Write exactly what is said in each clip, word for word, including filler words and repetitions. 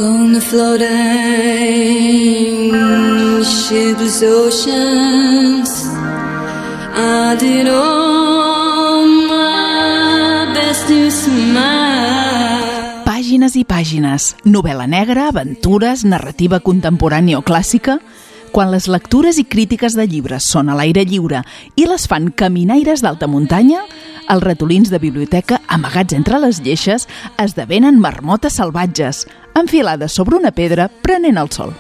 On the floating shipless oceans, I did all my best to smile. Pàgines i pàgines, novel·la negra, aventures, narrativa contemporània o clàssica. Quan les lectures i crítiques de llibres són a l'aire lliure i les fan caminaires d'alta muntanya, els ratolins de biblioteca amagats entre les lleixes esdevenen marmotes salvatges, enfilades sobre una pedra prenent el sol.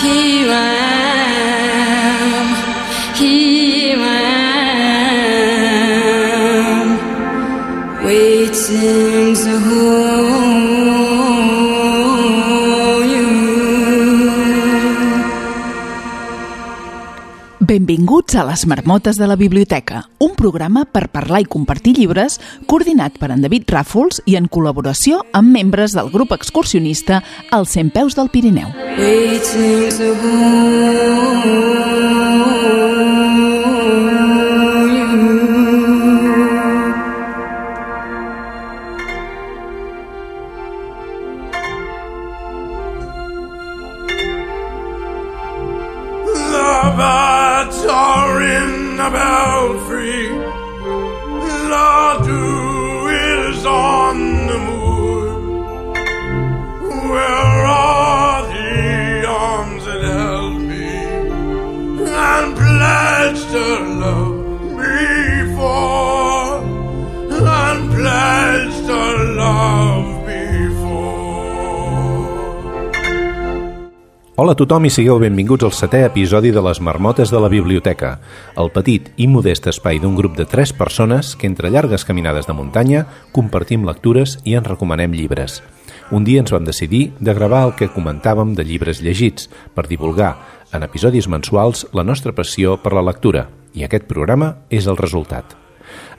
Here I am, here I am, waiting to hold you. Benvinguts a Les Marmotes de la Biblioteca, un programa per parlar i compartir llibres coordinat per en David Ràfols i en col·laboració amb membres del grup excursionista als Cent Peus del Pirineu. Waiting to hold you. The birds are in the belfry, the dew is on the moor. Where are the arms that held me and pledged to love me for, and pledged to love me for? Hola a tothom i sigueu benvinguts al setè episodi de Les Marmotes de la Biblioteca, el petit i modest espai d'un grup de tres persones que entre llargues caminades de muntanya compartim lectures i ens recomanem llibres. Un dia ens vam decidir de gravar el que comentàvem de llibres llegits per divulgar en episodis mensuals la nostra passió per la lectura, i aquest programa és el resultat.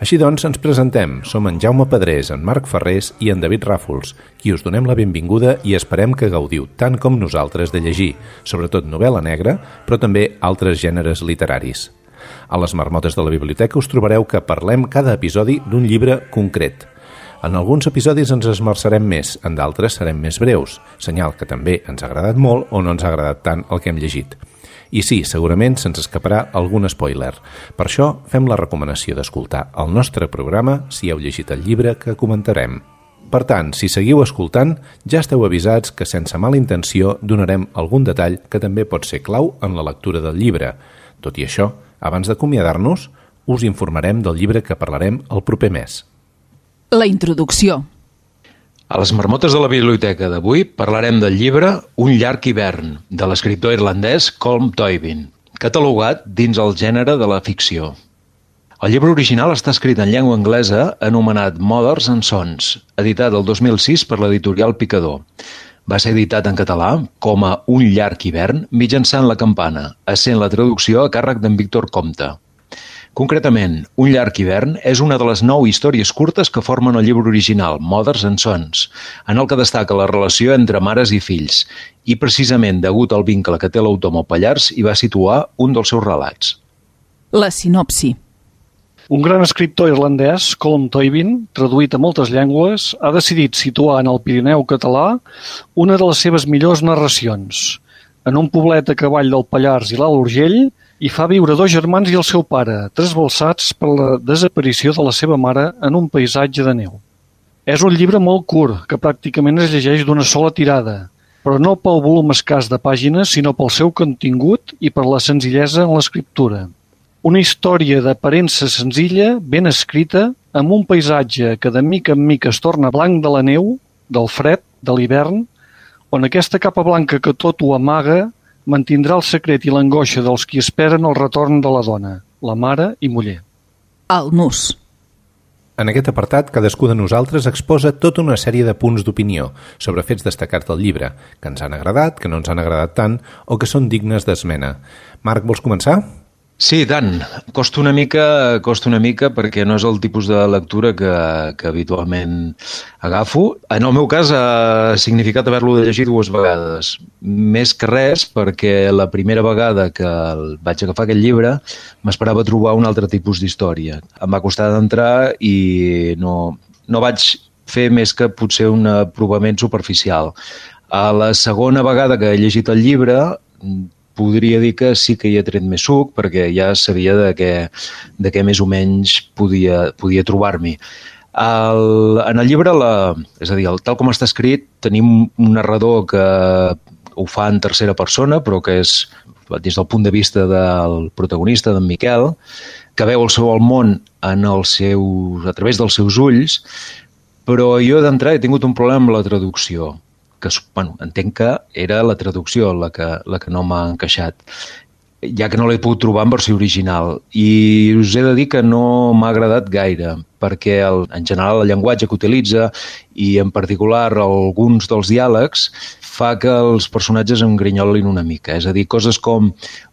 Així doncs, ens presentem. Som en Jaume Pedrés, en Marc Ferrés i en David Ràfols, qui us donem la benvinguda i esperem que gaudiu tant com nosaltres de llegir, sobretot novel·la negra, però també altres gèneres literaris. A Les Marmotes de la Biblioteca us trobareu que parlem cada episodi d'un llibre concret. En alguns episodis ens esmerçarem més, en d'altres serem més breus, senyal que també ens ha agradat molt o no ens ha agradat tant el que hem llegit. I sí, segurament se'ns escaparà algun spoiler. Per això fem la recomanació d'escoltar el nostre programa si heu llegit el llibre que comentarem. Per tant, si seguiu escoltant, ja esteu avisats que sense mala intenció donarem algun detall que també pot ser clau en la lectura del llibre. Tot i això, abans d'acomiadar-nos, us informarem del llibre que parlarem el proper mes. La introducció. A les Marmotes de la Biblioteca d'avui parlarem del llibre Un llarg hivern, de l'escriptor irlandès Colm Tóibín, catalogat dins el gènere de la ficció. El llibre original està escrit en llengua anglesa anomenat Mothers and Sons, editat el dos mil sis per l'editorial Picador. Va ser editat en català com a Un llarg hivern mitjançant La Campana, essent la traducció a càrrec d'en Víctor Compte. Concretament, Un llarg hivern és una de les nou històries curtes que formen el llibre original, Mothers and Sons, en el que destaca la relació entre mares i fills, i precisament degut al vincle que té l'autor amb el Pallars hi va situar un dels seus relats. La sinopsi. Un gran escriptor irlandès, Colm Tóibín, traduït a moltes llengües, ha decidit situar en el Pirineu català una de les seves millors narracions. En un poblet a cavall del Pallars i l'Alt Urgell, hi fa viure dos germans i el seu pare, trasbalsats per la desaparició de la seva mare en un paisatge de neu. És un llibre molt curt, que pràcticament es llegeix d'una sola tirada, però no pel volum escàs de pàgines, sinó pel seu contingut i per la senzillesa en l'escriptura. Una història d'aparença senzilla, ben escrita, amb un paisatge que de mica en mica es torna blanc de la neu, del fred, de l'hivern, on aquesta capa blanca que tot ho amaga mantindrà el secret i l'angoixa dels qui esperen el retorn de la dona, la mare i muller. El nus. En aquest apartat, cadascú de nosaltres exposa tota una sèrie de punts d'opinió sobre fets destacats del llibre, que ens han agradat, que no ens han agradat tant o que són dignes d'esmena. Marc, vols començar? Sí, tant. Costa una mica, costa una mica perquè no és el tipus de lectura que, que habitualment agafo. En el meu cas ha significat haver-lo de llegir dues vegades. Més que res perquè la primera vegada que vaig agafar aquest llibre m'esperava trobar un altre tipus d'història. Em va costar d'entrar i no, no vaig fer més que potser un aprovament superficial. A la segona vegada que he llegit el llibre, podria dir que sí que hi he tret més suc, perquè ja sabia de què, de què més o menys podia, podia trobar-m'hi. El, en el llibre, la, és a dir, el, tal com està escrit, tenim un narrador que ho fa en tercera persona, però que és des del punt de vista del protagonista, d'en Miquel, que veu el seu el món en el seu, a través dels seus ulls, però jo d'entrada he tingut un problema amb la traducció, que bueno, entenc que era la traducció la que, la que no m'ha encaixat, ja que no l'he pogut trobar en versió original. I us he de dir que no m'ha agradat gaire, perquè el, en general el llenguatge que utilitza i en particular alguns dels diàlegs fa que els personatges em grinyolin una mica. És a dir, coses com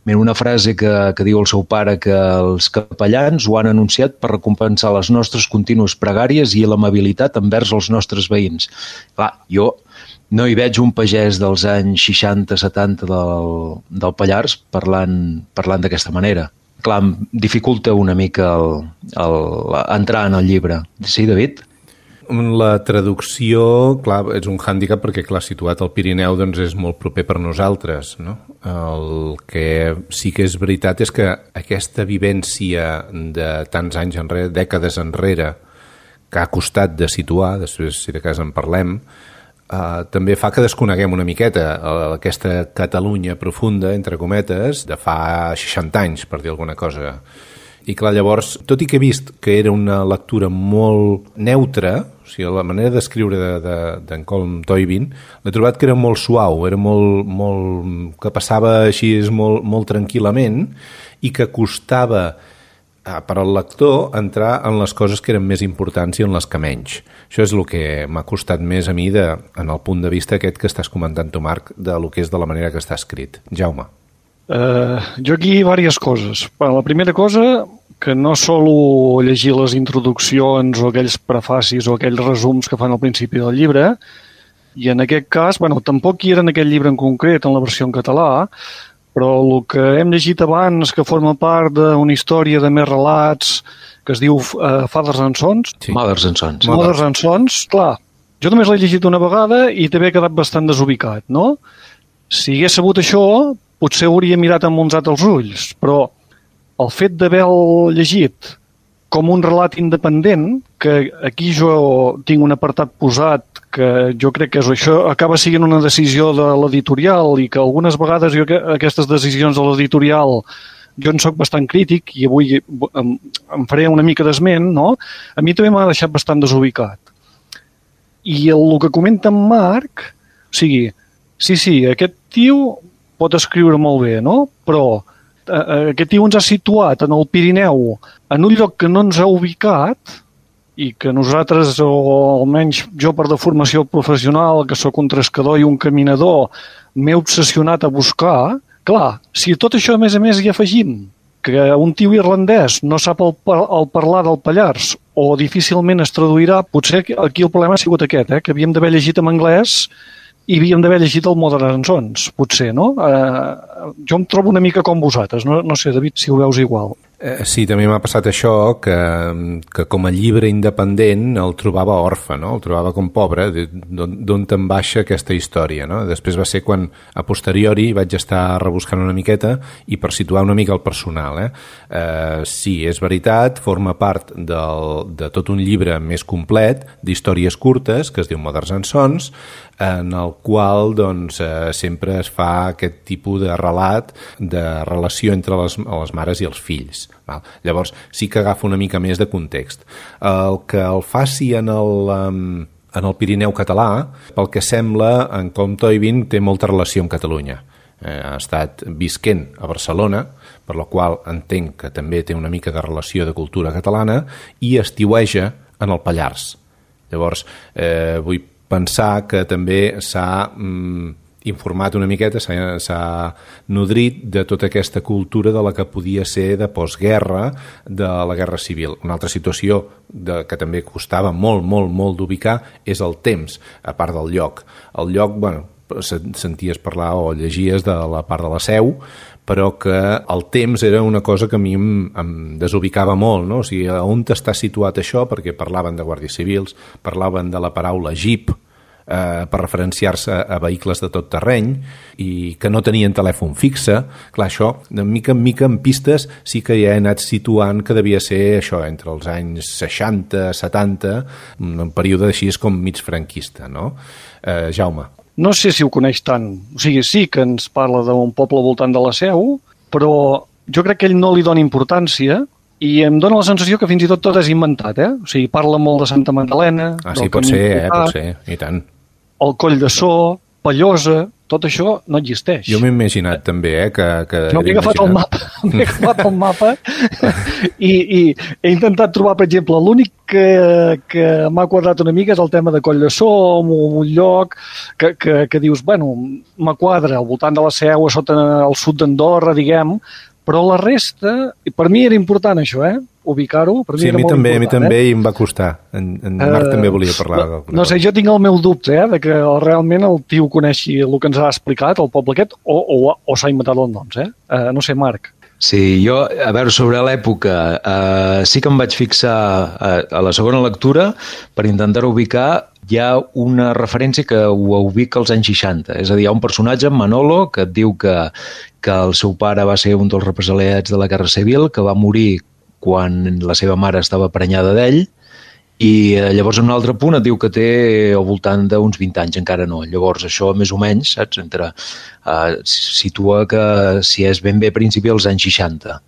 una frase que, que diu el seu pare que els capellans ho han anunciat per recompensar les nostres contínues pregàries i l'amabilitat envers els nostres veïns. Clar, jo no hi veig un pagès dels anys seixanta setanta del, del Pallars parlant, parlant d'aquesta manera. Clar, em dificulta una mica el, el, entrar en el llibre. Sí, David? La traducció, clar, és un hàndicap perquè, clar, situat al Pirineu doncs és molt proper per nosaltres, no? El que sí que és veritat és que aquesta vivència de tants anys enrere, dècades enrere, que ha costat de situar, després si de cas en parlem, Uh, també fa que desconeguem una miqueta uh, aquesta Catalunya profunda, entre cometes, de fa seixanta anys, per dir alguna cosa. I clar, llavors, tot i que he vist que era una lectura molt neutra, o sigui, la manera d'escriure d'en de, de, Colm Toibin, l'he trobat que era molt suau, era molt, molt, que passava així molt, molt tranquil·lament i que costava per al lector entrar en les coses que eren més importants i en les que menys. Això és el que m'ha costat més a mi de, en el punt de vista aquest que estàs comentant tu, Marc, de lo que és de la manera que està escrit. Jaume. Uh, jo aquí diverses coses. La primera cosa, que no solo llegir les introduccions o aquells prefacis o aquells resums que fan al principi del llibre, i en aquest cas, bueno, tampoc hi era en aquest llibre en concret, en la versió en català, però el que hem llegit abans, que forma part d'una història de més relats, que es diu uh, Fathers and Sons. Sí. Mothers and Sons. Mothers and Sons, clar. Jo només l'he llegit una vegada i també he quedat bastant desubicat, no? Si hagués sabut això, potser hauria mirat amb uns altres ulls, però el fet d'haver-lo llegit com un relat independent, que aquí jo tinc un apartat posat que jo crec que és, això acaba sent una decisió de l'editorial i que algunes vegades jo aquestes decisions de l'editorial jo en soc bastant crític i avui em, em faré una mica d'esment, no? A mi també m'ha deixat bastant desubicat. I el, el que comenta en Marc, o sigui, sí, sí, aquest tio pot escriure molt bé, no? Però eh, aquest tio ens ha situat en el Pirineu en un lloc que no ens ha ubicat i que nosaltres, o almenys jo per de formació professional, que sóc un trescador i un caminador, m'he obsessionat a buscar. Clar, si tot això a més a més hi afegim que un tio irlandès no sap el, el parlar del Pallars o difícilment es traduirà, potser aquí el problema ha sigut aquest, eh? Que havíem d'haver llegit en anglès i havíem d'haver llegit el Mothers and Sons, potser, no? Eh, jo em trobo una mica com vosaltres, no, no sé, David, si ho veus igual. Eh, sí, també m'ha passat això, que, que com a llibre independent el trobava orfe, no? El trobava com pobre, d'on te'n baixa aquesta història, no? Després va ser quan, a posteriori, vaig estar rebuscant una miqueta i per situar una mica el personal, eh? Eh, sí, és veritat, forma part del, de tot un llibre més complet d'històries curtes, que es diu Mothers and Sons, en el qual doncs, eh, sempre es fa aquest tipus de relat de relació entre les, les mares i els fills. Val? Llavors sí que agafa una mica més de context. El que el faci en el, um, en el Pirineu català, pel que sembla, en Colm Toibin té molta relació amb Catalunya. Eh, ha estat visquent a Barcelona, per la qual entenc que també té una mica de relació de cultura catalana, i estiueja en el Pallars. Llavors, eh, vull pensar que també s'ha mm, informat una miqueta, s'ha nodrit de tota aquesta cultura de la que podia ser de postguerra, de la Guerra Civil. Una altra situació de, que també costava molt, molt, molt d'ubicar és el temps, a part del lloc. El lloc, bueno, senties parlar o llegies de la part de la Seu, però que el temps era una cosa que a mi em, em desubicava molt, no? O sigui, on està situat això? Perquè parlaven de guàrdies civils, parlaven de la paraula jeep, eh, per referenciar-se a vehicles de tot terreny i que no tenien telèfon fixe. Clar, això, de mica en mica en pistes sí que ja he anat situant que devia ser això, entre els anys seixanta, setanta, un període així com mig franquista, no? Eh, Jaume. No sé si ho coneix tant. O sigui, sí que ens parla d'un poble al voltant de la Seu, però jo crec que ell no li dona importància i em dóna la sensació que fins i tot tot és inventat, eh? O sigui, parla molt de Santa Magdalena... Ah, sí, pot ser, eh? Pot ser, i tant. El Coll de So, Pallosa, tot això no existeix. Jo m'he imaginat també, eh? Que, que no, m'he agafat el mapa, m'he agafat el mapa i, i he intentat trobar, per exemple, l'únic que, que m'ha quadrat una mica és el tema de Coll de So, un, un lloc que, que, que dius, bueno, m'ha quadra al voltant de la Seu, a sota al sud d'Andorra, diguem, però la resta, per mi era important això, eh? Ubicar-ho, per mi sí, era a mi molt també, important. A mi també eh? i em va costar. En, en Marc uh, també volia parlar. No, no sé, jo tinc el meu dubte, eh, de que realment el tio coneixi el que ens ha explicat, el poble aquest, o, o, o s'ha inventat els noms, eh? Uh, no sé, Marc. Sí, jo, a veure, sobre l'època, eh, sí que em vaig fixar a, a la segona lectura per intentar ubicar. Hi ha una referència que ho ubica als anys seixanta, és a dir, hi ha un personatge, Manolo, que et diu que, que el seu pare va ser un dels represaliats de la Guerra Civil, que va morir quan la seva mare estava prenyada d'ell, i llavors en un altre punt et diu que té al voltant d'uns vint anys, encara no. Llavors això més o menys, saps, entre, uh, situa que si és ben bé a principi dels anys seixanta,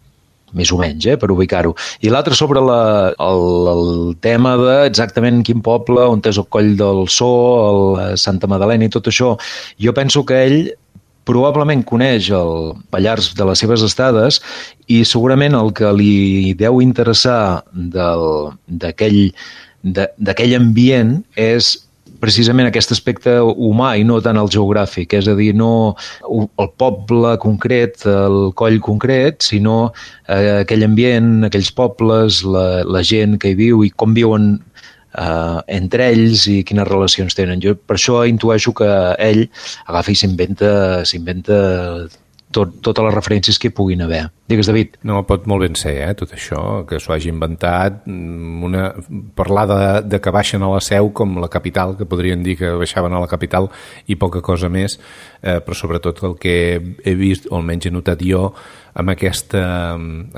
més o menys, eh, per ubicar-ho. I l'altre sobre la, el, el tema de exactament quin poble, on és el Coll del So, el Santa Magdalena i tot això, jo penso que ell probablement coneix el Pallars de les seves estades i segurament el que li deu interessar d'aquell d'aquell ambient és precisament aquest aspecte humà i no tant el geogràfic, és a dir, no el poble concret, el coll concret, sinó eh, aquell ambient, aquells pobles, la, la gent que hi viu i com viuen Uh, entre ells i quines relacions tenen. Jo per això intueixo que ell agafa i s'inventa s'inventa tot, totes les referències que hi puguin haver. Digues, David. No, pot molt ben ser, eh, tot això, que s'ho hagi inventat. Una, parlar de, de que baixen a la Seu com la capital, que podrien dir que baixaven a la capital i poca cosa més, eh, però sobretot el que he vist, o almenys he notat jo, amb aquesta,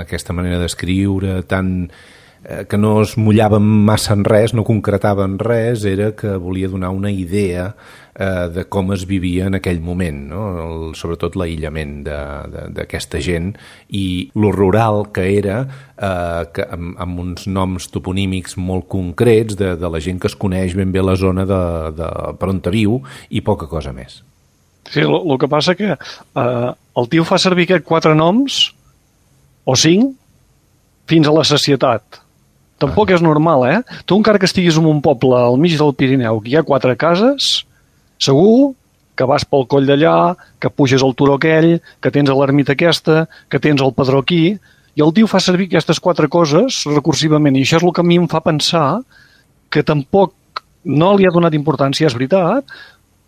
aquesta manera d'escriure tan... que no es mullaven massa en res, no concretaven res, era que volia donar una idea eh, de com es vivia en aquell moment, no? El, sobretot l'aïllament d'aquesta gent i lo rural que era, eh, que, amb, amb uns noms toponímics molt concrets de, de la gent que es coneix ben bé la zona de, de, per on viu i poca cosa més. Sí, el que passa que eh, el tio fa servir aquests quatre noms, o cinc, fins a la sacietat. Tampoc és normal, eh? Tu encara que estiguis en un poble al mig del Pirineu, que hi ha quatre cases, segur que vas pel coll d'allà, que puges al turó aquell, que tens l'ermita aquesta, que tens el padró aquí, i el tio fa servir aquestes quatre coses recursivament, i això és el que a mi em fa pensar que tampoc no li ha donat importància, és veritat,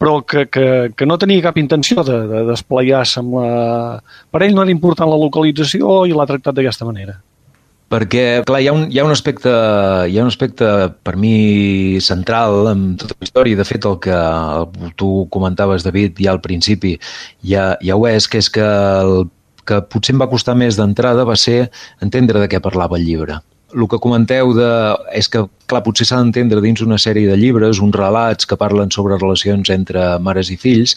però que, que, que no tenia cap intenció de, de desplegar-se amb la... Per ell no era important la localització i l'ha tractat d'aquesta manera. Perquè, clar, hi ha un, hi ha un aspecte, hi ha un aspecte per mi central en tota la història, de fet el que tu comentaves, David, ja al principi ja, ja ho és, que és que el que potser em va costar més d'entrada va ser entendre de què parlava el llibre. El que comenteu de, és que, clar, potser s'ha d'entendre dins una sèrie de llibres, uns relats que parlen sobre relacions entre mares i fills,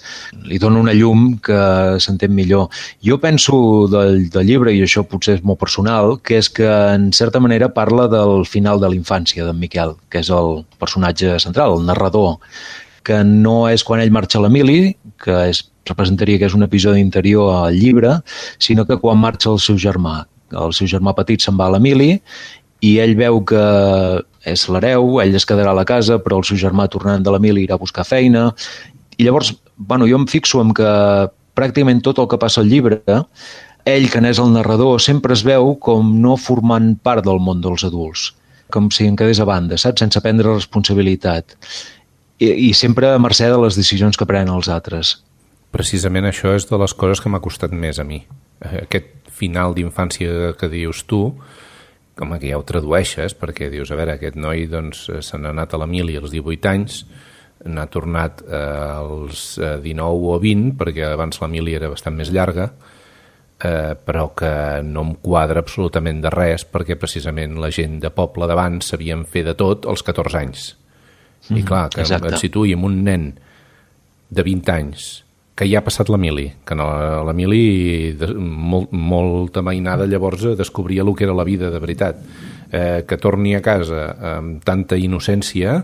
li dona una llum que s'entén millor. Jo penso del, del llibre, i això potser és molt personal, que és que en certa manera parla del final de la infància d'en Miquel, que és el personatge central, el narrador, que no és quan ell marxa a l'Emili, que és, representaria que és un episodi interior al llibre, sinó que quan marxa el seu germà. El seu germà petit se'n va a l'Emili i ell veu que és l'hereu, ell es quedarà a la casa, però el seu germà tornant de l'Emili irà a buscar feina. I llavors, bueno, jo em fixo en que pràcticament tot el que passa al llibre, ell, que n'és el narrador, sempre es veu com no formant part del món dels adults, com si en quedés a banda, saps? Sense prendre responsabilitat. i, i sempre a mercè de les decisions que prenen els altres. Precisament això és de les coses que m'ha costat més a mi. Aquest final d'infància que dius tu, com que ja ho tradueixes, perquè dius, a veure, aquest noi doncs, se n'ha anat a la mili als divuit anys, n'ha tornat eh, als dinou o vint, perquè abans la mili era bastant més llarga, eh, però que no em quadra absolutament de res, perquè precisament la gent de poble d'abans sabien fer de tot als catorze anys. Mm, I clar, que exacte. Et situï amb un nen de vint anys que ja ha passat la mili, que no, la mili de, molt, molta mainada llavors descobria el que era la vida de veritat, eh, que torni a casa amb tanta innocència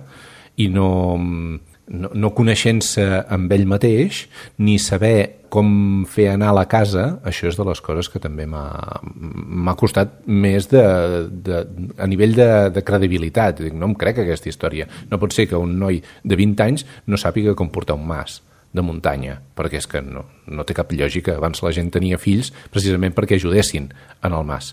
i no, no, no coneixent-se amb ell mateix ni saber com fer anar a la casa, això és de les coses que també m'ha, m'ha costat més de, de, a nivell de, de credibilitat. Dic, no em crec aquesta història. No pot ser que un noi de vint anys no sàpiga com portar un mas de muntanya, perquè és que no, no té cap lògica. Abans la gent tenia fills precisament perquè ajudessin en el mas.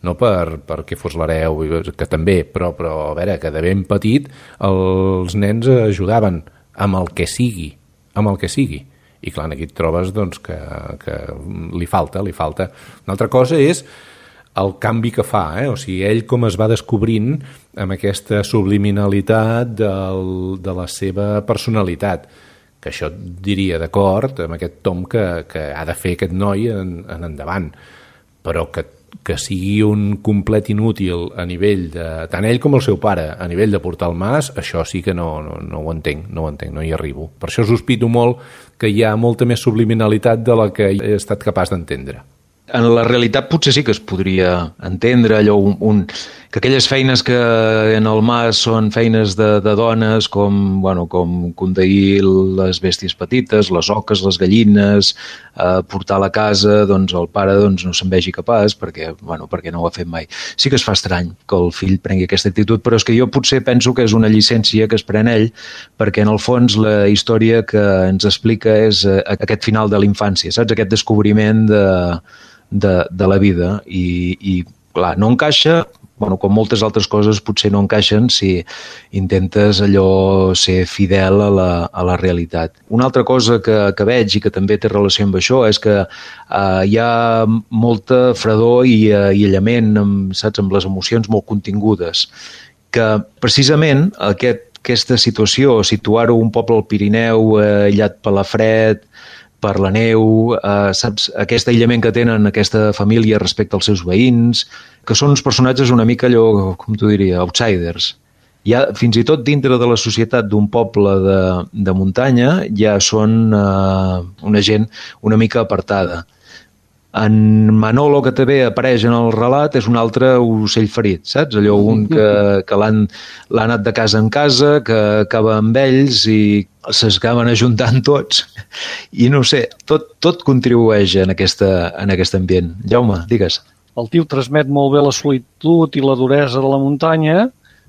No per, perquè fos l'hereu, que també, però, però a veure, que de ben petit els nens ajudaven amb el que sigui, amb el que sigui. I clar, aquí et trobes doncs, que, que li falta, li falta. Una altra cosa és el canvi que fa, eh? O sigui, ell com es va descobrint amb aquesta subliminalitat del, de la seva personalitat, que això et diria d'acord amb aquest tom que, que ha de fer aquest noi en, en endavant, però que, que sigui un complet inútil a nivell de, tant ell com el seu pare, a nivell de portar el mas, això sí que no, no, no ho entenc, no ho entenc, no hi arribo. Per això sospito molt que hi ha molta més subliminalitat de la que he estat capaç d'entendre. En la realitat potser sí que es podria entendre allò, un, un, que aquelles feines que en el mas són feines de, de dones, com, bueno, com conduir les bèsties petites, les oques, les gallines, eh, portar a la casa, doncs el pare doncs, no se'n vegi capaç perquè, bueno, perquè no ho ha fet mai. Sí que es fa estrany que el fill prengui aquesta actitud, però és que jo potser penso que és una llicència que es pren ell, perquè en el fons la història que ens explica és eh, aquest final de la infància, saps? Aquest descobriment de De, de la vida i, i clar, no encaixa, bueno, com moltes altres coses potser no encaixen si intentes allò ser fidel a la, a la realitat. Una altra cosa que, que veig i que també té relació amb això és que eh, hi ha molta fredor i eh, aïllament amb, saps, amb les emocions molt contingudes, que precisament aquest, aquesta situació, situar-ho un poble al Pirineu eh, aïllat per la fred, per la neu, eh, saps, aquest aïllament que tenen aquesta família respecte als seus veïns, que són uns personatges una mica allò, com t'ho diria, outsiders. Ja, fins i tot dintre de la societat d'un poble de, de muntanya ja són eh, una gent una mica apartada. En Manolo, que també apareix en el relat, és un altre ocell ferit, saps? Allò un que, que l'han l'ha anat de casa en casa, que acaba amb ells i s'acaben ajuntant tots. I no sé, tot, tot contribueix en, aquesta, en aquest ambient. Jaume, digues. El tio transmet molt bé la solitud i la duresa de la muntanya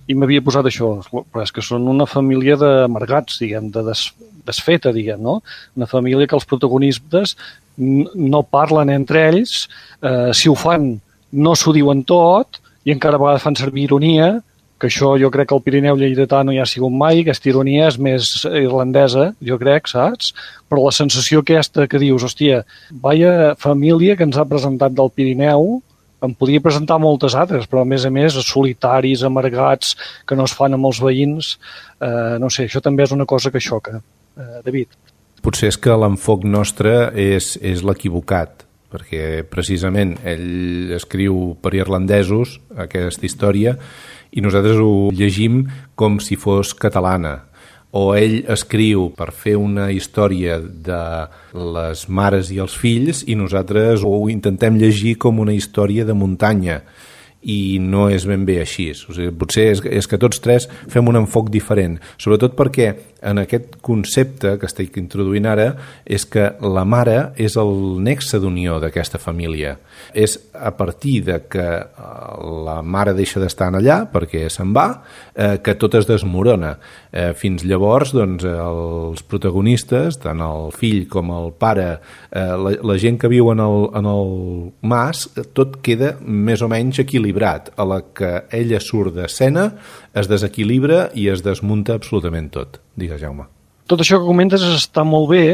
i m'havia posat això, però és que són una família d'amargats, diguem, de des, desfeta, diguem, no? Una família que els protagonistes no parlen entre ells, eh, si ho fan no s'ho diuen tot i encara a vegades fan servir ironia, que això jo crec que el Pirineu lleidatà no hi ha sigut mai, aquesta ironia és més irlandesa, jo crec, saps? Però la sensació aquesta que dius, hòstia, vaya família que ens ha presentat del Pirineu, em podia presentar moltes altres, però a més a més solitaris, amargats, que no es fan amb els veïns, eh, no sé, això també és una cosa que xoca. Eh, David. Potser és que l'enfoc nostre és, és l'equivocat, perquè precisament ell escriu per irlandesos aquesta història i nosaltres ho llegim com si fos catalana. O ell escriu per fer una història de les mares i els fills i nosaltres ho intentem llegir com una història de muntanya i no és ben bé així. O sigui, potser és, és que tots tres fem un enfoc diferent, sobretot perquè en aquest concepte que estic introduint ara és que la mare és el nexe d'unió d'aquesta família. És a partir de que la mare deixa d'estar allà perquè se'n va, eh, que tot es desmorona. Eh, fins llavors, doncs, els protagonistes, tant el fill com el pare, eh, la, la gent que viu en el, en el mas, tot queda més o menys equilibrat. A la que ella surt d'escena, es desequilibra i es desmunta absolutament tot. Digues, Jaume. Tot això que comentes està molt bé,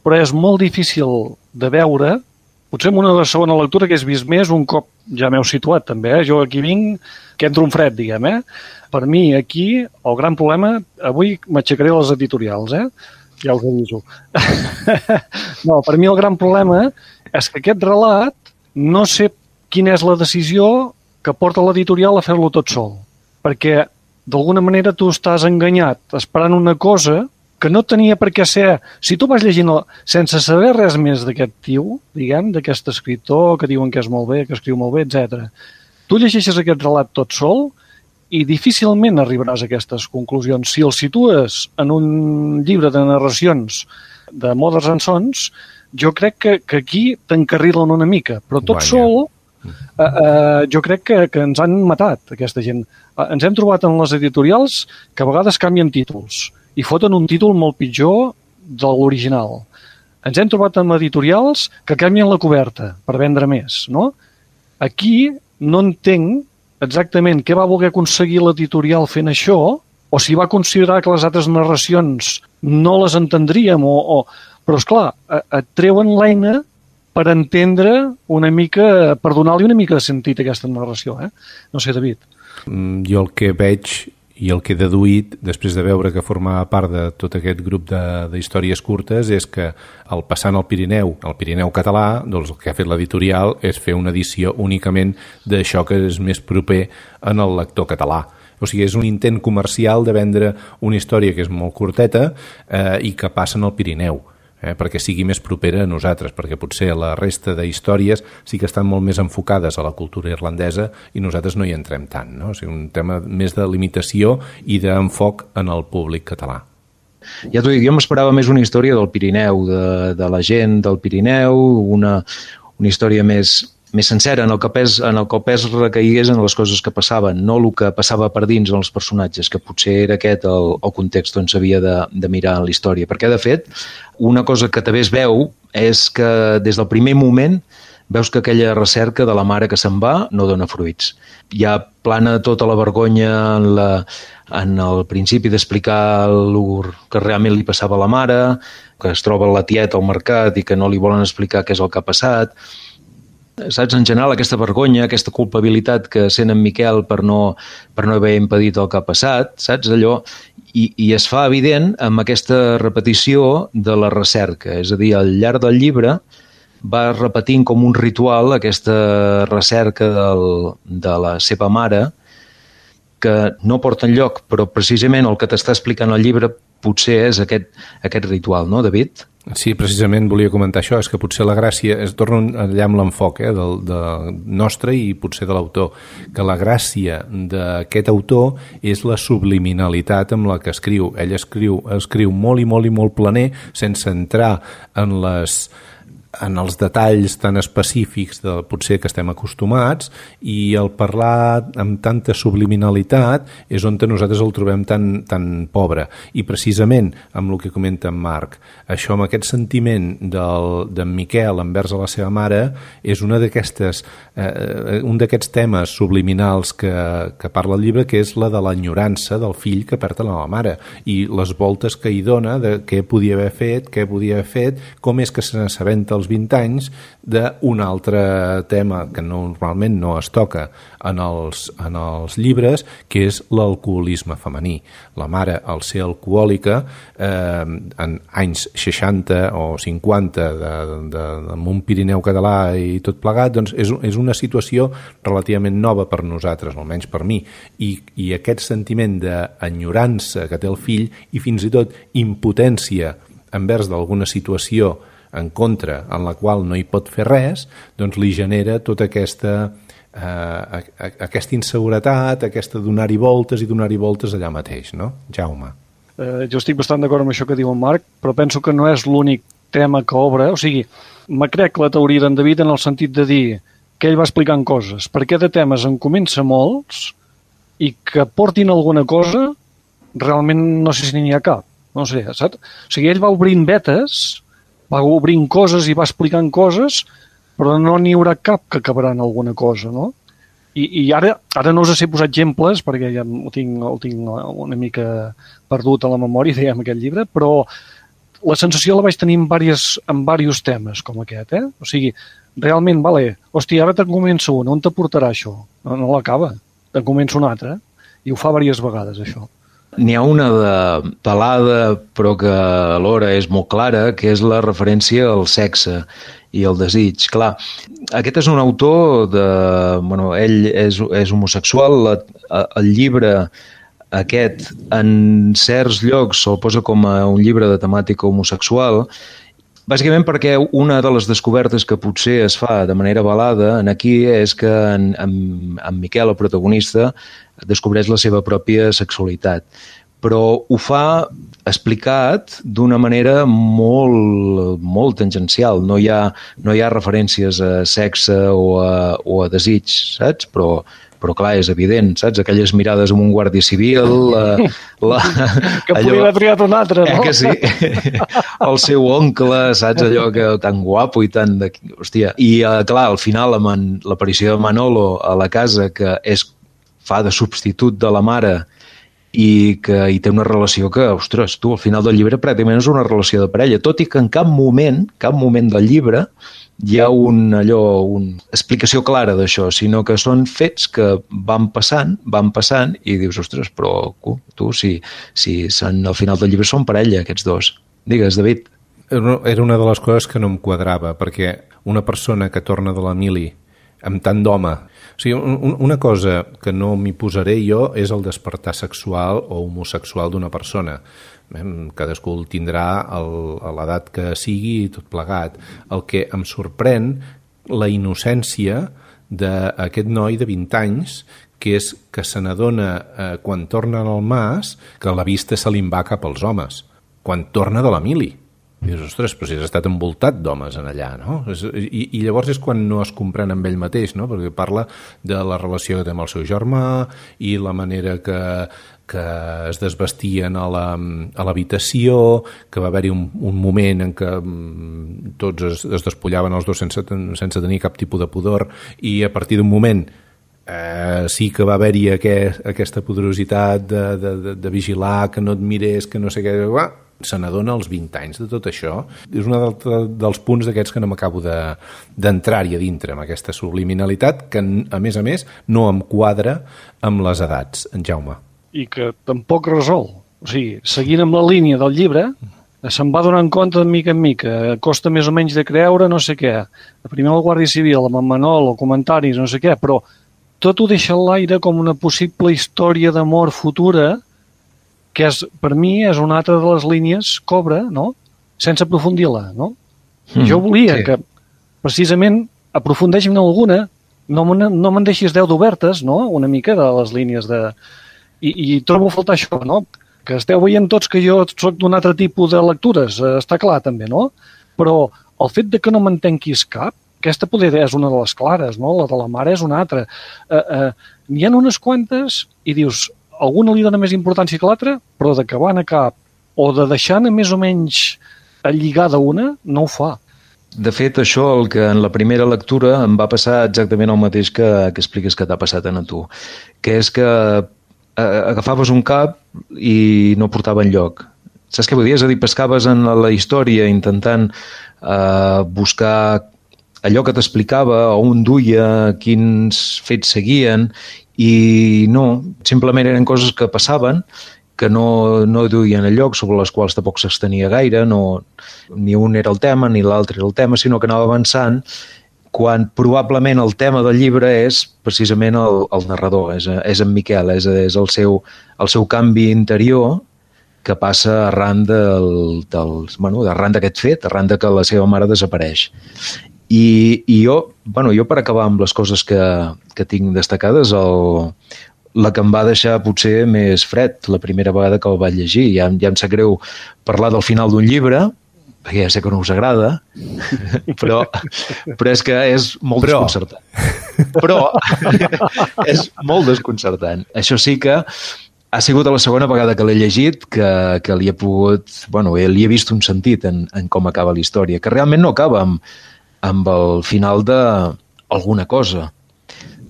però és molt difícil de veure. Potser en una segona lectura que has vist més, un cop ja m'heu situat també, eh? Jo aquí vinc, que entro un fred, diguem, eh? Per mi, aquí, el gran problema, avui m'aixecaré les editorials, eh? Ja us aviso. No, per mi el gran problema és que aquest relat, no sé quina és la decisió que porta l'editorial a fer-lo tot sol. Perquè, d'alguna manera, tu estàs enganyat esperant una cosa que no tenia per què ser... Si tu vas llegint el... sense saber res més d'aquest tio, diguem, d'aquest escriptor que diuen que és molt bé, que escriu molt bé, etcètera, tu llegeixes aquest relat tot sol i difícilment arribaràs a aquestes conclusions. Si el situes en un llibre de narracions de Mothers and Sons, jo crec que, que aquí t'encarrilen una mica, però tot Guanya. sol eh, eh, jo crec que, que ens han matat, aquesta gent. Eh, ens hem trobat en les editorials que a vegades canvien títols i foten un títol molt pitjor de l'original. Ens hem trobat amb editorials que canvien la coberta per vendre més, no? Aquí no entenc exactament què va voler aconseguir l'editorial fent això, o si va considerar que les altres narracions no les entendríem, o, o... però esclar, et treuen l'eina per entendre una mica, per donar-li una mica de sentit a aquesta narració, eh? No sé, David. Mm, jo el que veig i el que he deduït, després de veure que formava part de tot aquest grup d'històries curtes, és que al passant al Pirineu, al Pirineu català, doncs el que ha fet l'editorial és fer una edició únicament d'això que és més proper en el lector català. O sigui, és un intent comercial de vendre una història que és molt curteta eh, i que passa en el Pirineu. Eh, perquè sigui més propera a nosaltres, perquè potser la resta d'històries sí que estan molt més enfocades a la cultura irlandesa i nosaltres no hi entrem tant, no? O sigui, un tema més de limitació i d'enfoc en el públic català. Ja t'ho dic, jo m'esperava més una història del Pirineu, de, de la gent del Pirineu, una, una història més, més sencera, en el, que pes, en el que el pes recaigués en les coses que passaven, no el que passava per dins en els personatges, que potser era aquest el, el context on s'havia de, de mirar la història. Perquè, de fet, una cosa que també es veu és que des del primer moment veus que aquella recerca de la mare que se'n va no dona fruits. Ja plana tota la vergonya en, la, en el principi d'explicar el que realment li passava a la mare, que es troba la tieta al mercat i que no li volen explicar què és el que ha passat. Saps, en general, aquesta vergonya, aquesta culpabilitat que sent en Miquel per no, per no haver impedit el que ha passat, saps, allò, i, i es fa evident amb aquesta repetició de la recerca. És a dir, al llarg del llibre va repetint com un ritual aquesta recerca del, de la seva mare, que no porta enlloc, però precisament el que t'està explicant el llibre potser és aquest, aquest ritual, no, David? Sí, precisament volia comentar això, és que potser la gràcia, es torna allà amb l'enfoc eh, del, del nostre i potser de l'autor, que la gràcia d'aquest autor és la subliminalitat amb la que escriu. Ell escriu, escriu molt i molt i molt planer, sense entrar en les... en els detalls tan específics de potser que estem acostumats, i el parlar amb tanta subliminalitat és on nosaltres el trobem tan, tan pobre. I precisament amb el que comenta en Marc, això amb aquest sentiment del, d'en Miquel envers a la seva mare és una d'aquestes eh, un d'aquests temes subliminals que, que parla el llibre, que és la de l'enyorança del fill que perd a la mare i les voltes que hi dona de què podia haver fet, què podia haver fet, com és que se n'assabenta als vint anys d'un altre tema que normalment no es toca en els, en els llibres, que és l'alcoholisme femení. La mare, al ser alcohòlica, eh, en anys seixanta o cinquanta de, de, de un Pirineu català i tot plegat, doncs és, és una situació relativament nova per nosaltres, almenys per mi, i, i aquest sentiment d'enyorança que té el fill i fins i tot impotència envers d'alguna situació en contra, en la qual no hi pot fer res, doncs li genera tota aquesta, eh, aquesta inseguretat, aquesta donar-hi voltes i donar-hi voltes allà mateix, no? Jaume. Eh, jo estic bastant d'acord amb això que diu en Marc, però penso que no és l'únic tema que obre. O sigui, me crec la teoria d'en David en el sentit de dir que ell va explicant coses, perquè de temes en comença molts i que portin alguna cosa, realment no sé si n'hi ha cap. No sé, saps? O sigui, ell va obrint vetes, va obrint coses i va explicant coses, però no n'hi haurà cap que acabarà en alguna cosa, no? I, i ara, ara no us sé posar exemples, perquè ja ho tinc, ho tinc una mica perdut a la memòria, dèiem, aquest llibre, però la sensació la vaig tenir en diversos, en diversos temes, com aquest, eh? O sigui, realment, vale, hòstia, ara te'n comença un, on te portarà això? No, no l'acaba, te'n comença un altre, i ho fa diverses vegades, això. N'hi ha una de pelada, però que alhora és molt clara, que és la referència al sexe i al desig. Clar, aquest és un autor de... Bueno, ell és, és homosexual, la, el llibre aquest en certs llocs se'l posa com a un llibre de temàtica homosexual, bàsicament perquè una de les descobertes que potser es fa de manera velada en aquí és que en, en, en Miquel, el protagonista, descobreix la seva pròpia sexualitat. Però ho fa explicat d'una manera molt, molt tangencial. No hi ha, no hi ha referències a sexe o a, o a desig, saps? Però, però clar, és evident, saps? Aquelles mirades amb un guàrdia civil... La, la, que allò, podria haver triat un altre, no? Eh que sí? El seu oncle, saps? Allò que tan guapo i tan... De... Hòstia. I uh, clar, al final, amb l'aparició de Manolo a la casa, que és, fa de substitut de la mare i que hi té una relació que, ostres, tu, al final del llibre pràcticament és una relació de parella, tot i que en cap moment, cap moment del llibre hi ha un, allò, una explicació clara d'això, sinó que són fets que van passant, van passant, i dius, ostres, però tu, si, si són, al final del llibre són parella, aquests dos. Digues, David. Era una de les coses que no em quadrava, perquè una persona que torna de la mili amb tant d'home... O sigui, un, una cosa que no m'hi posaré jo és el despertar sexual o homosexual d'una persona. Cadascú el tindrà el, a l'edat que sigui i tot plegat. El que em sorprèn, la innocència d'aquest noi de vint anys, que és que se n'adona eh, quan torna al mas que la vista se li en va cap als homes, quan torna de la mili. I dius, ostres, però si has estat envoltat d'homes en allà, no? I, I llavors és quan no es comprèn amb ell mateix, no? Perquè parla de la relació que té amb el seu germà i la manera que, que es desvestien a la, a l'habitació, que va haver-hi un, un moment en què tots es, es despullaven els dos sense, sense tenir cap tipus de pudor, i a partir d'un moment eh, sí que va haver-hi aquest, aquesta poderositat de, de, de, de vigilar, que no et mirés, que no sé què... Va, se n'adona als vint anys de tot això. És un dels punts d'aquests que no m'acabo d'entrar-hi a dintre, amb aquesta subliminalitat que, a més a més, no em quadra amb les edats, en Jaume. I que tampoc resol. O sigui, seguint amb la línia del llibre, se'n va donant compte de mica en mica, costa més o menys de creure no sé què. Primer el Guàrdia Civil, amb en Manol, o comentaris, no sé què, però tot ho deixa a l'aire com una possible història d'amor futura, que és, per mi és una altra de les línies Cobra, no? Sense aprofundir-la, no? Mm, jo volia sí. que, precisament, aprofundeixin en alguna, no me'n no me deixis deu d'obertes, no? Una mica de les línies de... I, i trobo a faltar això, no? Que esteu veient tots que jo soc d'un altre tipus de lectures, està clar també, no? Però el fet de que no m'entenquis cap, aquesta poder és una de les clares, no? La de la mare és una altra. Eh, eh, n'hi ha unes quantes i dius... Alguna li dona més importància que l'altra, però d'acabar a cap o de deixar-ne més o menys lligada una, no ho fa. De fet, això, el que en la primera lectura em va passar exactament el mateix que, que expliques que t'ha passat a tu, que és que agafaves un cap i no portava enlloc. Saps què vull dir? És a dir, pescaves en la història intentant eh, buscar allò que t'explicava, on duia, quins fets seguien, i no, simplement eren coses que passaven, que no, no duien a lloc, sobre les quals tampoc s'estenia gaire, no, ni un era el tema ni l'altre era el tema, sinó que anava avançant, quan probablement el tema del llibre és precisament el, el narrador, és, és en Miquel, és, és el, seu, el seu canvi interior que passa arran del, del, bueno, arran d'aquest fet, arran de que la seva mare desapareix. I, i jo, bueno, jo per acabar amb les coses que, que tinc destacades, el, la que em va deixar potser més fred la primera vegada que el vaig llegir, ja, ja em sap greu parlar del final d'un llibre, perquè ja sé que no us agrada, però, però és que és molt però. desconcertant. Però és molt desconcertant. Això sí que ha sigut la segona vegada que l'he llegit que, que li he pogut... Bueno, li he vist un sentit en, en com acaba la història, que realment no acaba amb amb el final d'alguna cosa.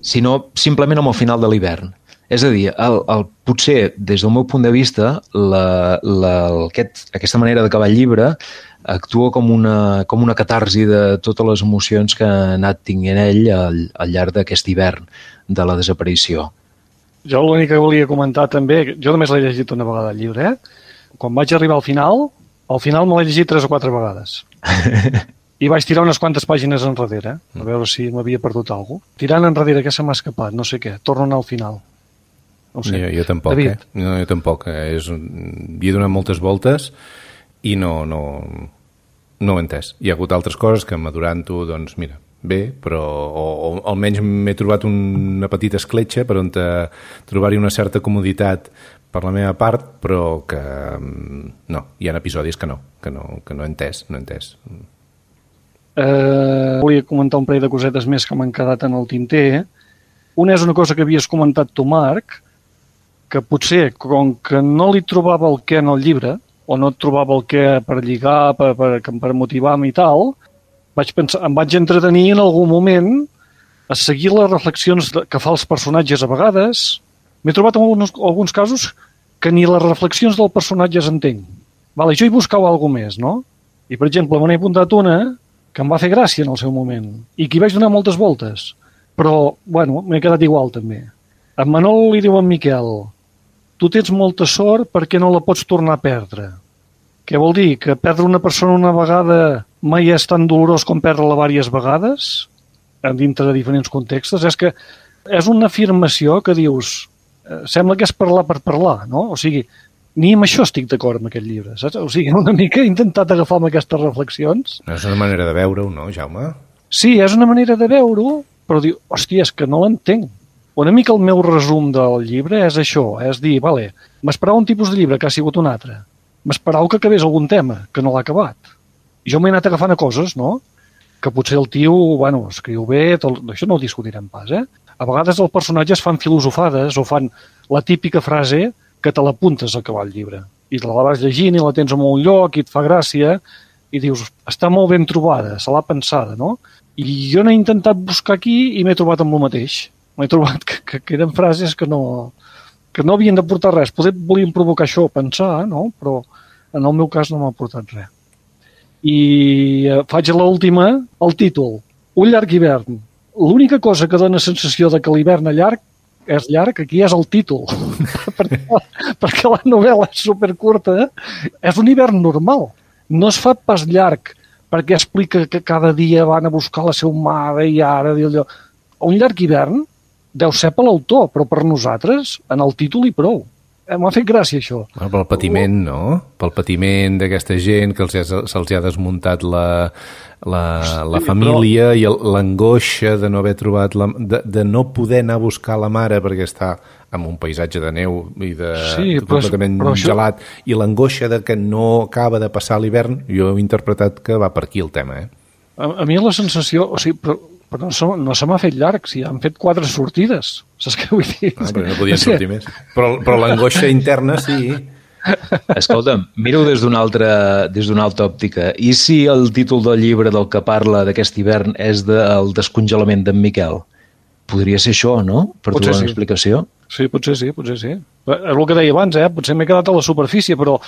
sinó simplement amb el final de l'hivern. És a dir, el, el, potser, des del meu punt de vista, la, la, aquest, aquesta manera d'acabar el llibre actua com una, com una catarsi de totes les emocions que ha anat tinguent ell al, al llarg d'aquest hivern de la desaparició. Jo l'únic que volia comentar també, jo només l'he llegit una vegada el llibre, eh? Quan vaig arribar al final, al final me l'he llegit tres o quatre vegades. I vaig tirar unes quantes pàgines enrere, a veure si m'havia perdut alguna cosa. Tirant enrere, què se m'ha escapat? No sé què, torno a anar al final. No sé. Jo, jo tampoc, David. eh? No, jo tampoc. Eh? És un... Hi he donat moltes voltes i no, no, no ho he entès. Hi ha hagut altres coses que madurant-ho, doncs mira, bé, però o, o almenys m'he trobat una petita escletxa per on trobar-hi una certa comoditat per la meva part, però que no, hi ha episodis que no, que no, que no he entès, no he entès. Eh, volia comentar un parell de cosetes més que m'han quedat en el tinter. Una és una cosa que havies comentat tu, Marc, que potser, com que no li trobava el què en el llibre, o no trobava el què per lligar, per, per, per motivar-me i tal, vaig pensar, em vaig entretenir en algun moment a seguir les reflexions que fa els personatges a vegades. M'he trobat en alguns, alguns casos que ni les reflexions del personatge es entenc. Vale, jo hi buscava alguna més, no? I, per exemple, me n'he apuntat una que em va fer gràcia en el seu moment i que hi vaig donar moltes voltes. Però, bueno, m'he quedat igual, també. En Manol li diu a en Miquel: tu tens molta sort perquè no la pots tornar a perdre. Què vol dir? Que perdre una persona una vegada mai és tan dolorós com perdre-la diverses vegades, dintre de diferents contextos? És que és una afirmació que dius, eh, sembla que és parlar per parlar, no? O sigui, ni amb això estic d'acord amb aquest llibre, saps? O sigui, una mica he intentat agafar amb aquestes reflexions. És una manera de veure-ho, no, Jaume? Sí, és una manera de veure-ho, però diu, hòstia, és que no l'entenc. Una mica el meu resum del llibre és això, és dir, vale, m'esperava un tipus de llibre que ha sigut un altre. M'esperava que acabés algun tema, que no l'ha acabat. I jo m'he anat agafant a coses, no? Que potser el tio, bueno, escriu bé, tot, això no ho discutirem pas, eh? A vegades els personatges fan filosofades o fan la típica frase que te l'apuntes a acabar el llibre. I te la vas llegint i la tens en un lloc i et fa gràcia i dius, està molt ben trobada, se l'ha pensada, no? I jo n'he intentat buscar aquí i m'he trobat amb el mateix. M'he trobat que, que, que eren frases que no, que no havien de portar res. Poder volien provocar això, pensar, no? Però en el meu cas no m'ha portat res. I eh, faig l'última, el títol, Un llarg hivern. L'única cosa que dona sensació de que l'hivern és llarg, és llarg, aquí és el títol. perquè, perquè la novel·la és supercurta, és un hivern normal. No es fa pas llarg perquè explica que cada dia van a buscar la seva mare i ara... Allò. Un llarg hivern deu ser per l'autor, però per nosaltres, en el títol i prou. M'ha fet gràcia, això. Bueno, pel patiment, no? Pel patiment d'aquesta gent que se'ls ha desmuntat la, la, la sí, família però... i l'angoixa de no haver trobat... La, de, de no poder anar a buscar la mare perquè està en un paisatge de neu i de sí, però, completament però això... gelat, i l'angoixa de que no acaba de passar l'hivern, jo he interpretat que va per aquí el tema, eh? A, a mi la sensació... O sigui, però... Però no, no se m'ha fet llarg, si han fet quatre sortides. Saps què vull dir? Ah, però no podien sortir més. Però, però l'angoixa interna sí. Escolta'm, miro des d'una altra, des d'una altra òptica. I si el títol del llibre del que parla d'aquest hivern és del descongelament d'en Miquel? Podria ser això, no? Per trobar una explicació? Sí, potser sí, potser sí. És el que deia abans, eh? Potser m'he quedat a la superfície, però,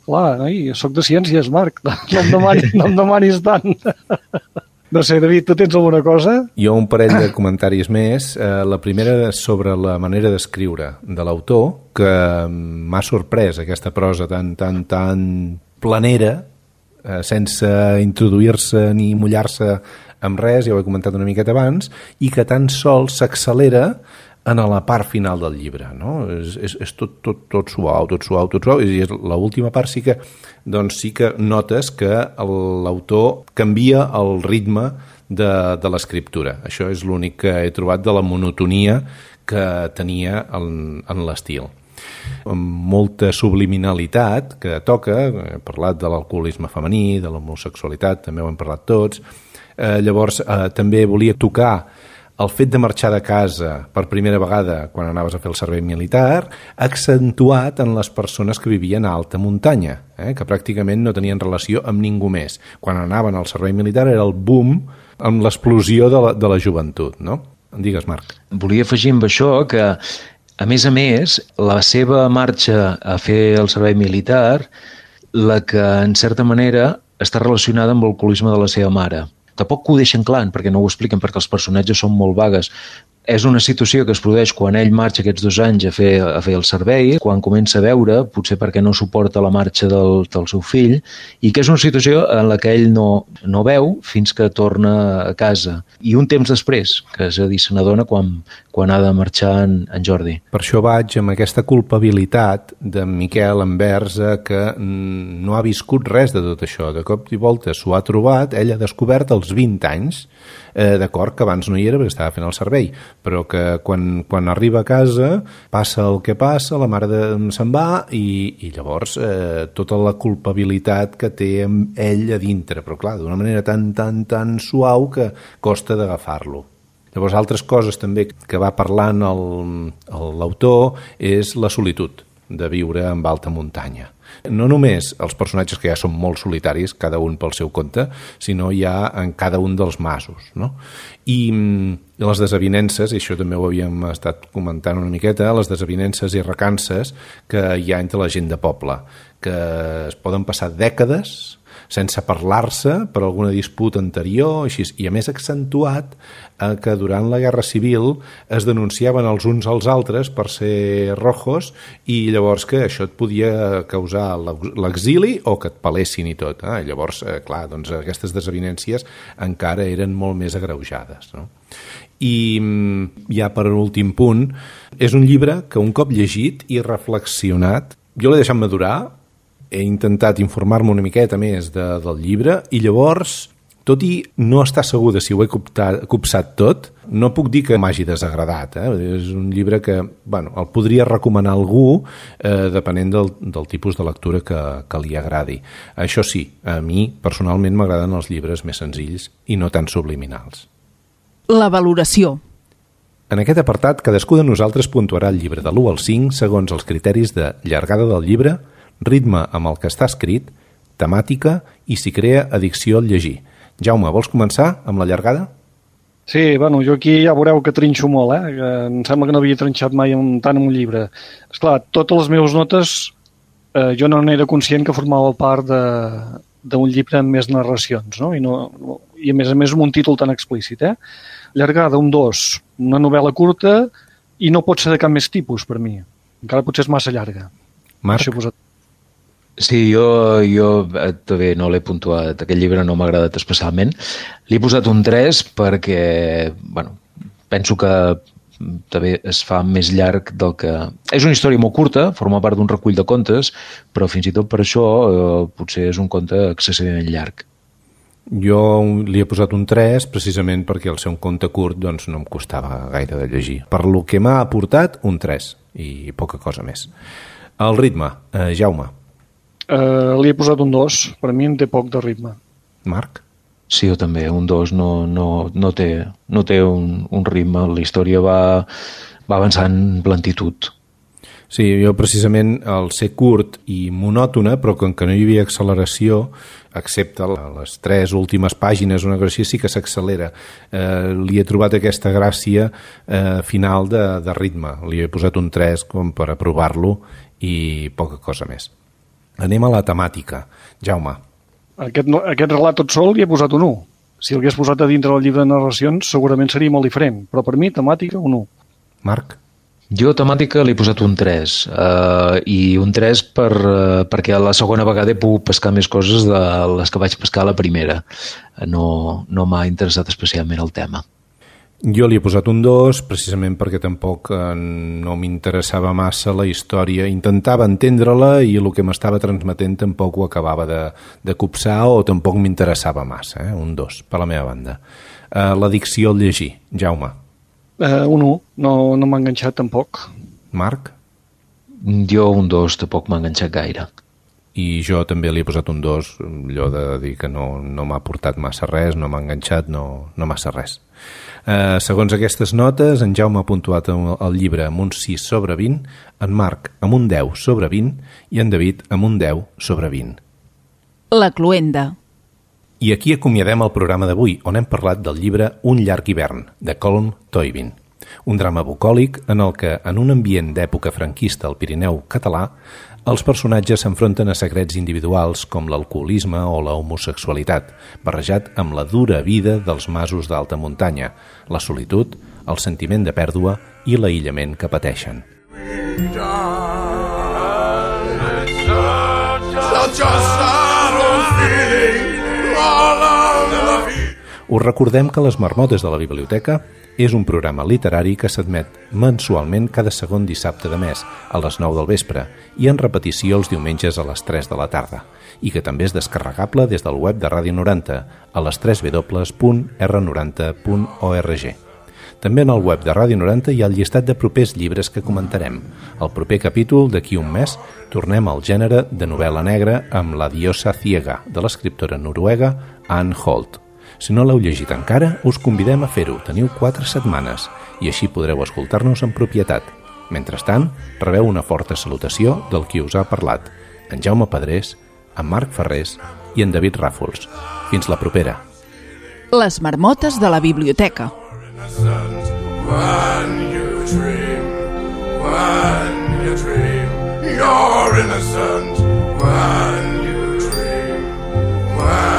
clar, noi, soc de ciències, Marc. No em demanis, no em demanis tant. No sé, David, tu tens alguna cosa? Jo un parell de comentaris més. Eh, la primera sobre la manera d'escriure de l'autor, que m'ha sorprès aquesta prosa tan, tan, tan planera, eh, sense introduir-se ni mullar-se amb res, ja ho he comentat una miqueta abans, i que tan sols s'accelera en la part final del llibre, no? És, és, és tot, tot, tot suau, tot suau, tot suau, i l'última part sí que, doncs sí que notes que l'autor canvia el ritme de, de l'escriptura. Això és l'únic que he trobat de la monotonia que tenia en, en l'estil. Amb molta subliminalitat que toca, he parlat de l'alcoholisme femení, de l'homosexualitat, també ho hem parlat tots. Eh, llavors, eh, també volia tocar el fet de marxar de casa per primera vegada quan anaves a fer el servei militar, accentuat en les persones que vivien a alta muntanya, eh? que pràcticament no tenien relació amb ningú més. Quan anaven al servei militar era el boom amb l'explosió de la, de la joventut, no? Digues, Marc. Volia afegir amb això que, a més a més, la seva marxa a fer el servei militar, la que, en certa manera, està relacionada amb l'alcoholisme de la seva mare. Tampoc ho deixen clar, perquè no ho expliquen, perquè els personatges són molt vagues. És una situació que es produeix quan ell marxa aquests dos anys a fer, a fer el servei, quan comença a veure, potser perquè no suporta la marxa del, del seu fill, i que és una situació en la que ell no, no veu fins que torna a casa. I un temps després, que és a dir, se n'adona quan, quan ha de marxar en, en Jordi. Per això vaig amb aquesta culpabilitat de Miquel envers que no ha viscut res de tot això. De cop i volta s'ho ha trobat, ell ha descobert als vint anys, eh, d'acord, que abans no hi era perquè estava fent el servei, però que quan, quan arriba a casa passa el que passa, la mare de, se'n va i, i llavors eh, tota la culpabilitat que té amb ell a dintre, però clar, d'una manera tan, tan, tan suau que costa d'agafar-lo. Llavors, altres coses també que va parlant l'autor és la solitud de viure en alta muntanya. No només els personatges que ja són molt solitaris, cada un pel seu compte, sinó ja en cada un dels masos, no? I les desavinences, i això també ho havíem estat comentant una miqueta, les desavinences i recances que hi ha entre la gent de poble, que es poden passar dècades sense parlar-se per alguna disputa anterior, així, i a més accentuat eh, que durant la Guerra Civil es denunciaven els uns als altres per ser rojos i llavors que això et podia causar l'exili o que et pelessin i tot. Eh? Llavors, eh, clar, doncs aquestes desavinències encara eren molt més agreujades, no? I ja per últim punt, és un llibre que un cop llegit i reflexionat, jo l'he deixat madurar, he intentat informar-me una miqueta més de, del llibre i llavors, tot i no estar segur de si ho he coptat, copsat tot, no puc dir que m'hagi desagradat. Eh? És un llibre que bueno, el podria recomanar a algú eh, depenent del, del tipus de lectura que, que li agradi. Això sí, a mi personalment m'agraden els llibres més senzills i no tan subliminals. La valoració. En aquest apartat, cadascú de nosaltres puntuarà el llibre de l'u al cinc segons els criteris de llargada del llibre, ritme amb el que està escrit, temàtica i si crea addicció al llegir. Jaume, vols començar amb la llargada? Sí, bueno, jo aquí ja veureu que trinxo molt, eh? Que em sembla que no havia trinxat mai amb, tant en un llibre. Esclar, totes les meves notes eh, jo no n'era conscient que formava part d'un llibre amb més narracions, no? I, no, no? I a més a més amb un títol tan explícit, eh? Llargada, un dos, una novel·la curta i no pot ser de cap més tipus per mi. Encara potser és massa llarga. Marc? Sí, jo, jo també no l'he puntuat. Aquest llibre no m'ha agradat especialment. Li he posat un tres perquè, bueno, penso que també es fa més llarg del que... És una història molt curta, forma part d'un recull de contes, però fins i tot per això eh, potser és un conte excessivament llarg. Jo li he posat un tres precisament perquè al ser un conte curt doncs no em costava gaire de llegir. Per lo que m'ha aportat, un tres i poca cosa més. El ritme, eh, Jaume. Uh, li he posat un dos, per mi en té poc de ritme. Marc? Sí, jo també, un dos no, no, no té, no té un, un ritme, la història va, va avançant en lentitud. Sí, jo precisament al ser curt i monòtona, però com que no hi havia acceleració, excepte les tres últimes pàgines, una cosa així, sí que s'accelera. Eh, li he trobat aquesta gràcia eh, final de, de ritme. Li he posat un tres com per aprovar-lo i poca cosa més. Anem a la temàtica. Jaume. Aquest, aquest relat tot sol li he posat un u. Si el hagués posat a dintre del llibre de narracions segurament seria molt diferent, però per mi temàtica un u. Marc? Jo temàtica li he posat un tres uh, i un tres per, uh, perquè la segona vegada he pogut pescar més coses de les que vaig pescar a la primera. No, no m'ha interessat especialment el tema. Jo li he posat un dos precisament perquè tampoc eh, no m'interessava massa la història. Intentava entendre-la i el que m'estava transmetent tampoc ho acabava de, de copsar o tampoc m'interessava massa. Eh? Un dos, per la meva banda. Eh, L'addicció al llegir. Jaume. Uh, un u, no, no m'ha enganxat tampoc. Marc? Jo un dos tampoc m'ha enganxat gaire. I jo també li he posat un dos, allò de dir que no, no m'ha aportat massa res, no m'ha enganxat, no, no massa res. Eh, segons aquestes notes, en Jaume ha puntuat el llibre amb un sis sobre vint, en Marc amb un deu sobre vint i en David amb un deu sobre vint. La cloenda. I aquí acomiadem el programa d'avui, on hem parlat del llibre Un llarg hivern, de Colm Toibin. Un drama bucòlic en el que, en un ambient d'època franquista al Pirineu català, els personatges s'enfronten a secrets individuals com l'alcoholisme o la homosexualitat, barrejat amb la dura vida dels masos d'alta muntanya, la solitud, el sentiment de pèrdua i l'aïllament que pateixen. Us recordem que Les Marmotes de la Biblioteca és un programa literari que s'admet mensualment cada segon dissabte de mes, a les nou del vespre, i en repetició els diumenges a les tres de la tarda, i que també és descarregable des del web de Ràdio noranta, a les w w w punt r noranta punt org. També en el web de Ràdio noranta hi ha el llistat de propers llibres que comentarem. Al proper capítol, d'aquí un mes, tornem al gènere de novel·la negra amb La diosa ciega, de l'escriptora noruega Anne Holt. Si no l'heu llegit encara, us convidem a fer-ho. Teniu quatre setmanes i així podreu escoltar-nos en propietat. Mentrestant, rebeu una forta salutació del qui us ha parlat, en Jaume Pedrés, en Marc Ferrés i en David Ràfols. Fins la propera. Les Marmotes de la Biblioteca. When you dream, when you dream, you're innocent. When you dream, when